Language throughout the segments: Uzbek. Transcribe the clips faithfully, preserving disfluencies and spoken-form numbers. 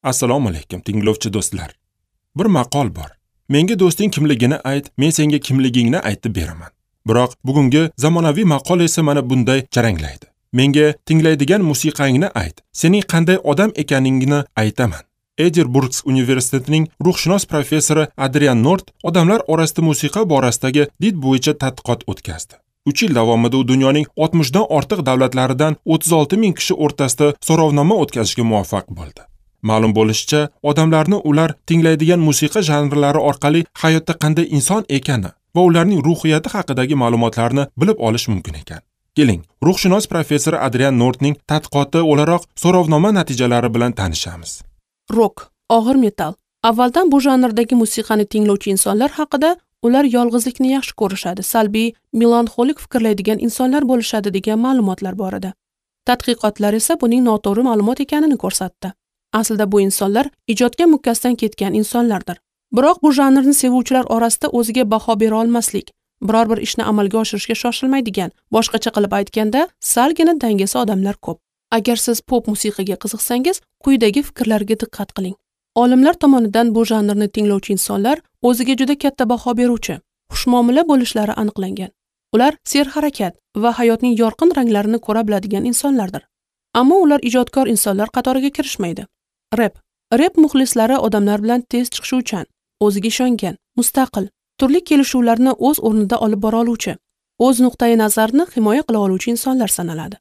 Assalomu alaykum tinglovchi do'stlar. Bir maqol bor. Menga do'sting kimligini ayt, men senga kimligingni aytib beraman. Biroq bugungi zamonaviy maqol esa mana bunday jaranglaydi. Menga tinglaydigan musiqangni ayt, sening qanday odam ekaningni aytaman. Edinburgh universitetining ruhshunos professori Adrian Nort odamlar orasida musiqa borasidagi did bo'yicha tadqiqot o'tkazdi. uch yil davomida u dunyoning oltmishdan ortiq davlatlaridan o'ttiz olti ming kishi o'rtasida so'rovnoma o'tkazishga muvaffaq bo'ldi. Ma'lum bo'lishicha, odamlarni ular tinglaydigan musiqa janrlari orqali hayotda qanday inson ekani va ularning ruhiyati haqidagi ma'lumotlarni bilib olish mumkin ekan. Keling, ruhshunos professor Adrian Nortning tadqiqoti o'laroq so'rovnoma natijalari bilan tanishamiz. Rock, og'ir metal. Avvaldan bu janrdagi musiqani tinglovchi insonlar haqida ular yolg'izlikni yaxshi ko'rishadi, salbiy, melanxolik fikrlaydigan insonlar bo'lishadi degan ma'lumotlar bor edi. Tadqiqotlar esa buning noto'g'ri ma'lumot ekanini ko'rsatdi. Aslida bu insonlar ijodga mukkasidan ketgan insonlardir. Biroq bu janrni sevuvchilar orasida o'ziga baho bera olmaslik, biror bir ishni amalga oshirishga shoshilmaydigan, boshqacha qilib aytganda, salgina dangasa odamlar ko'p. Agar siz pop musiqaga qiziqsangiz, quyidagi fikrlarga diqqat qiling. Olimlar tomonidan bu janrni tinglovchi insonlar o'ziga juda katta baho beruvchi, xushmuomala bo'lishlari aniqlangan. Ular serharakat va hayotning yorqin ranglarini ko'ra biladigan insonlardir. Ammo ular ijodkor insonlar qatoriga kirishmaydi. Rep. Rep muxlislari odamlar bilan tez chiqishuvchan, o'ziga ishongan, mustaqil, turli kelishuvlarni o'z o'rnida olib bora oluvchi, o'z nuqtai nazarini himoya qila oluvchi insonlar sanaladi.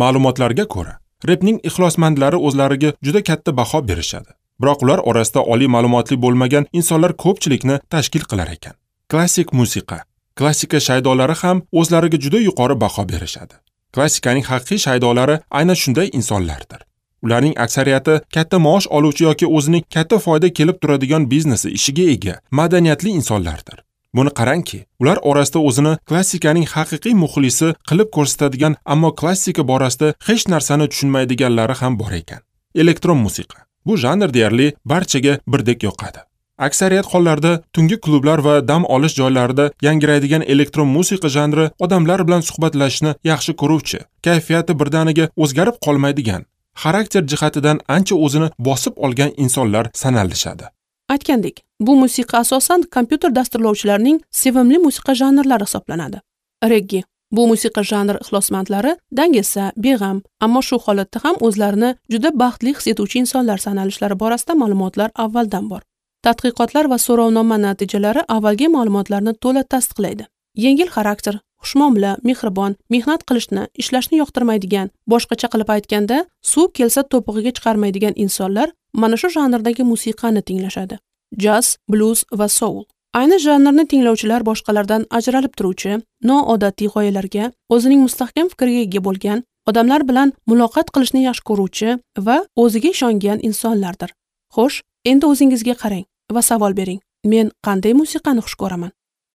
Ma'lumotlarga ko'ra, repning ixlosmandlari o'zlariga juda katta baho berishadi. Biroq ular orasida oliy ma'lumotli bo'lmagan insonlar ko'pchilikni tashkil qilar ekan. Klassik musiqa. Klassika shaydolari ham o'zlariga juda yuqori baho berishadi. Klassikaning haqiqiy shaydolari aynan shunday insonlardir. Ularning aksariyati katta maosh oluvchi yoki o'zining katta foyda kelib turadigan biznesi ishiga ega, madaniyatli insonlardir. Buni qarangki, ular orasida o'zini klassikaning haqiqiy muxlisi qilib ko'rsatadigan, ammo klassika borasida hech narsani tushunmaydiganlari ham bor ekan. Elektron musiqa. Bu janr deyarli barchaga birdek yoqadi. Aksariyat hollarda tungi klublar va dam olish joylarida yangraydigan elektron musiqa janri odamlar bilan suhbatlashishni yaxshi ko'ruvchi, kayfiyati birdaniga o'zgarib qolmaydigan, xarakter jihatidan ancha o'zini bosib olgan insonlar sanalishadi. Aytgandek, bu musiqa asosan kompyuter dasturlovchilarining sevimli musiqa janrlari hisoblanadi. Reggae. Bu musiqa janri ixlosmandlari dangasa, beg'am, ammo shu holatda ham o'zlarini juda baxtli his etuvchi insonlar sanalishlari borasida ma'lumotlar avvaldan bor. Tadqiqotlar va so'rovnoma natijalari avvalgi ma'lumotlarni to'la tasdiqlaydi. Yengil xarakter, xushmuomala, mehribon, mehnat qilishni, ishlashni yoqtirmaydigan, boshqacha qilib aytganda, suv kelsa to'pig'iga chiqarmaydigan insonlar mana shu janrdagi musiqani tinglashadi. Jazz, blues va soul. Ayni janrni tinglovchilar boshqalardan ajralib turuvchi, noodatiy g'oyalarga, o'zining mustahkam fikriga ega bo'lgan, odamlar bilan muloqot qilishni yaxshi ko'ruvchi va o'ziga ishongan insonlardir. Xo'sh, endi o'zingizga qarang va savol bering. Men qanday musiqani xush ko'raman?